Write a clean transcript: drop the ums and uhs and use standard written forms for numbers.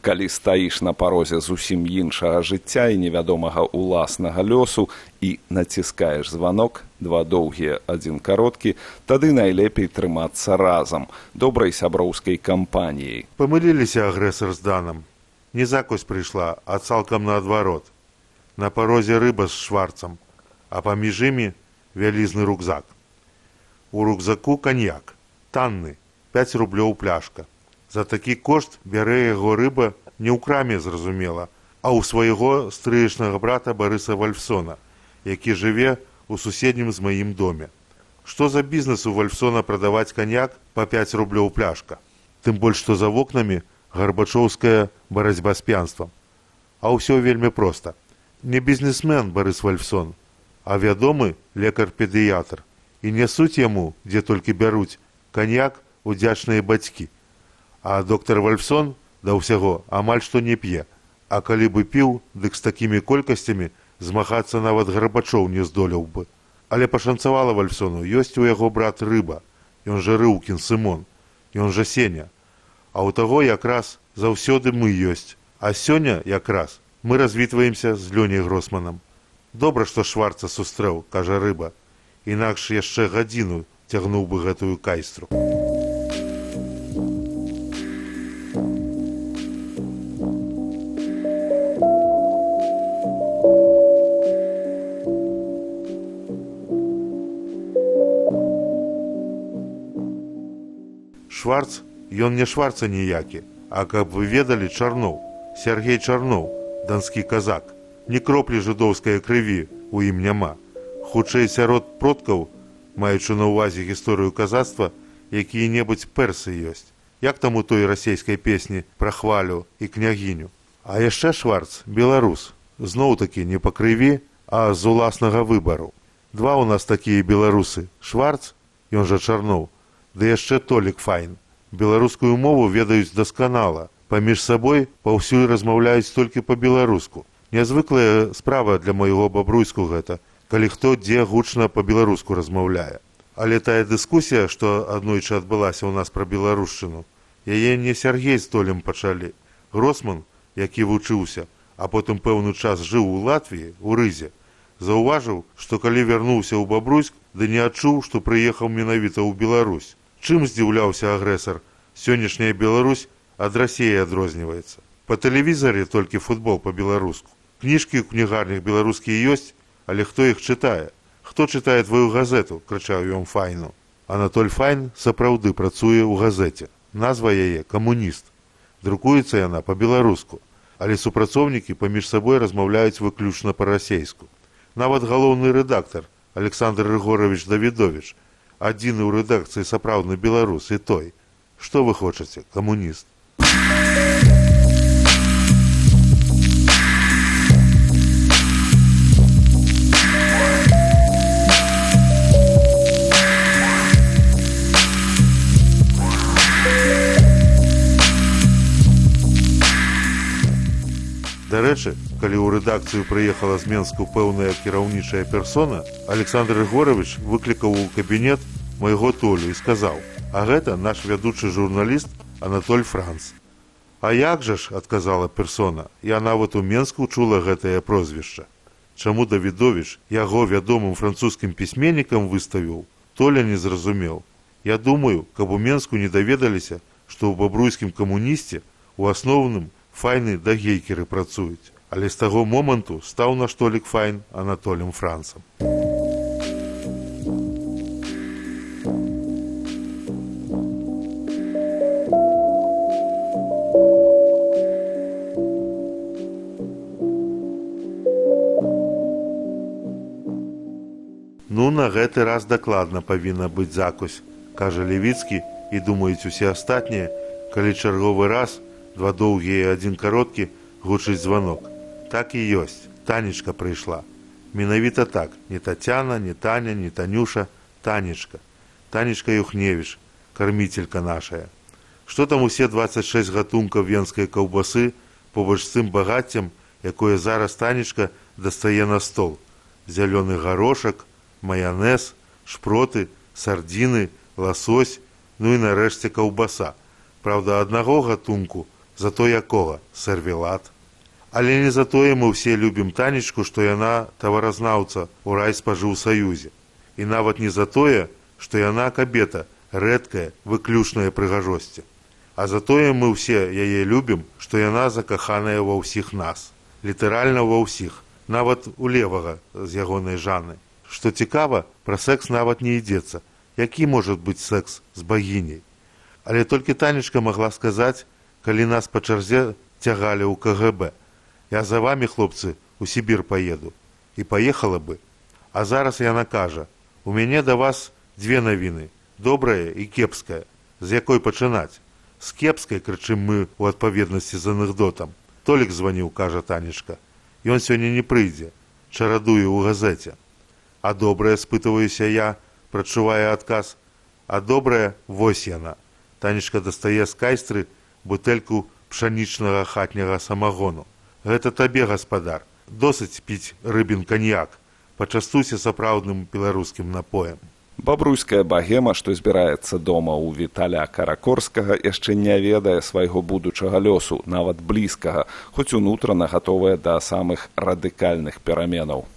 Калі стаіш на парозе зусім іншага жыцця і невядомага ўласнага лёсу і націскаеш званок, 2 доўгія, 1 кароткі, тады найлепей трымацца разам, добрай сяброўскай кампаніяй. Памыліліся агрэсар з Данам. Не закусь прыйшла, а цалкам наадварот. На парозе рыба з Шварцам, а паміж імі вялізны рюкзак. У рюкзаку каньяк, танны, 5 рублёў пляшка. За такі кошт бярэ яго рыба не ў краме, зразумела, а ў свайго стрыечнага брата Барыса Вальфсона, які жыве ў суседнім з маім доме. Што за бізнес у Вальфсона прадаваць каньяк па 5 рублёў пляшка? Тым больш, што за вокнамі гарбачоўская барацьба з п'янствам. А ўсё вельмі проста. Не бізнесмен Барыс Вальфсон, а вядомы лекар-педыятр. І нясуць яму, дзе толькі бяруць, каньяк удзячныя бацькі. А доктар Вальфсон да ўсяго амаль што не п'е. А калі бы піў, дык з такімі колькасцямі змагацца нават Гарбачоў не здолеў бы. Але пашанцавала Вальфсону, ёсць у яго брат Рыба, ён жа Рыўкін Сымон, ён жа Сеня. А ў таго якраз заўсёды мы ёсць. А сёння якраз мы развітваемся з Лёняй Гросманам. Добра, што Шварца сустрэў, кажа Рыба. Інакш яшчэ гадзіну цягнуў бы гэтую кайстру. Шварц, ён не Шварца ніякі, а каб вы ведалі, Чарноў, Сергей Чарноў, данскі казак. Ні кроплі жыдоўскай крыві у ім няма. Хутчэй сярод продкаў, маючы на ўвазе гісторыю казацтва, якія-небудзь персы ёсць. Як там у той расейскай песні пра хвалю і княгіню. А яшчэ Шварц беларус. Зноў-такі не па крыві, а з уласнага выбару. 2 у нас такія беларусы. Шварц, ён жа Чарноў, ды яшчэ Толік Файн. Беларускую мову ведаюць дасканала. Паміж сабой паўсюль размаўляюць толькі па-беларуску. Нязвыклая справа для майго бабруйску гэта, калі хто дзе гучна па-беларуску размаўляе. Але тая дыскусія, што аднойчы адбылася ў нас пра беларушчыну, яе не Сергей з Толем пачалі. Гросман, які вучыўся, а потым пэўны час жыў у Латвіі, у Рызе, заўважыў, што калі вярнуўся ў Бабруйск, ды не адчуў, што прыехаў менавіта ў Беларусь. Чым здзіўляўся агрэсар? Сённяшняя Беларусь ад Расіі адрозніваецца. Па тэлевізары толькі футбол па-беларуску. Кніжкі ў кнігарнях беларускія ёсць, але хто іх чытае? Хто чытае твою газету, крычаў ён Файну. Анатоль Файн сапраўды працуе ў газеце. Назва яе «Камуніст». Друкуецца яна па-беларуску, але супрацоўнікі паміж сабой размаўляюць выключна па-расейску. Нават галоўны рэдактар Александр Рыгорович Давідович, адзіны ў рэдакцыі сапраўдны беларус і той. Што вы хочаце, камуніст? Дарэчы, калі ў рэдакцыю прыехала з Менску пэўная кіраўнічая персона, Александр Рыгорович выклікаў у кабінет майго Толю і сказаў: «А гэта наш вядучы журналіст Анатоль Франц». «А як жа ж», — адказала персона, — «я нават у Менску чула гэтае прозвішча». Чаму Давідовіч яго вядомым французскім пісьменнікам выставіў, Толя не зразумеў. Я думаю, каб у Менску не даведаліся, што ў бабруйскім камунісце у асноўным Файны да гейкеры працуюць, але з таго моманту стаў наш Толік Файн Анатолем Францам. Ну, на гэты раз дакладна павінна быць закусь, кажа Левіцкі, і думаюць усе астатнія, калі чарговы раз 2 доўгія і 1 кароткі гучыць званок. Так і ёсць. Танечка прыйшла. Менавіта так. Не Тацяна, не Таня, не Танюша. Танечка. Танечка Юхневіч, карміцелька нашая. Што там усе 26 гатункаў венскай каўбасы побач з тым багаццем, якое зараз Танечка дастае на стол. Зялёны гарошак, маянез, шпроты, сардзіны, ласось, ну і нарэшце каўбаса. Праўда, аднаго гатунку Зато якога? Сервелат. Але не затое мы ўсе любім Танечку, што яна таваразнаўца ў райспажыўсаюзе. І нават не за тое, што яна кабета, рэдкая, выключная прыгажосці. А затое мы ўсе яе любім, што яна закаханая ва ўсіх нас. Літаральна ва ўсіх, нават у левага з ягонай Жанны. Што цікава, пра секс нават не ідзецца. Які можа быць секс з багіняй? Але толькі Танечка магла сказаць, калі нас па чарзе цягалі ў КГБ. Я за вамі, хлопцы, у Сібір паеду. І паехала бы. А зараз яна кажа, у мяне да вас дзве навіны, добрая і кепская. З якой пачынаць? З кепскай, крычым мы ў адпаведнасці з анекдотам. Толік званіў, кажа Танечка. Ён сёння не прыйдзе, чарадуе ў газеце. А добрая, спытваюся я, прачувае адказ. А добрая, вось яна. Танечка дастае з кайстры бутэльку пшанічнага хатняга самагону. Гэта табе, гаспадар. Досыць піць рыбін каньяк. Пачастуйся сапраўдным беларускім напоем. Бабруйская багема, што збіраецца дома ў Віталя Каракорскага, яшчэ не ведае свайго будучага лёсу, нават блізкага, хоць унутрана гатовая да самых радыкальных пераменаў.